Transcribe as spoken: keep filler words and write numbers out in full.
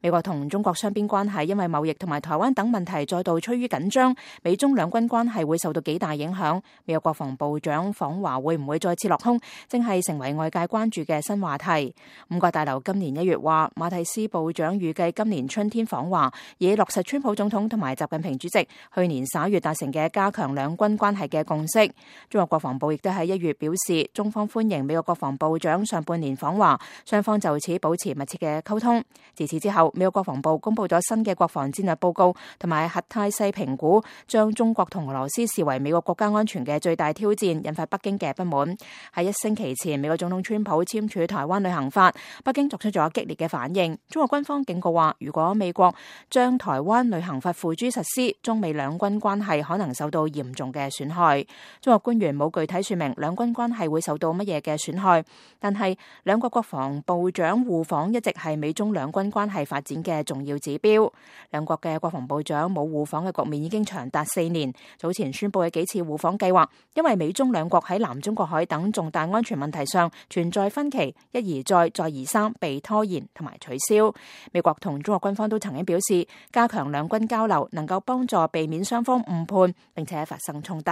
美國同中國雙邊關係因為貿易同埋台灣等問題再度趨於緊張，美中兩軍關係會受到幾大影響。美國國防部長訪華會唔會再次落空，正係成為外界關注嘅新話題。五角大樓今年一月話，馬蒂斯部長預計今年春天訪華，以落實川普總統同埋習近平主席去年十一月達成嘅加強兩軍關係嘅共識。中國國防部亦都喺一月表示，中方歡迎美國國防部長上半年訪華，雙方就此保持密切嘅溝通。自此之後，美國國防部公布咗新嘅國防戰略報告同埋核態勢評估，將中國同俄羅斯視為美國國家安全嘅最大挑戰，引發北京嘅不滿。喺一星期前，美國總統川普簽署台灣旅行法，北京作出咗激烈嘅反應。中國軍方警告話，如果美國將台灣旅行法付諸實施，中美兩軍關係可能受到嚴重嘅損害。中國官員冇具體說明兩軍關係會受到乜嘢嘅損害，但係兩國國防部長互訪一直係美中兩軍關係發展嘅重要指標。兩國嘅國防部長冇互訪嘅局面已經長達四年。早前宣布嘅幾次互訪計劃，因為美中兩國喺南中國海等重大安全問題上存在分歧，一而再再而三被拖延同埋取消。美國同中國軍方都曾經表示，加強兩軍交流能夠幫助避免雙方誤判並且發生衝突。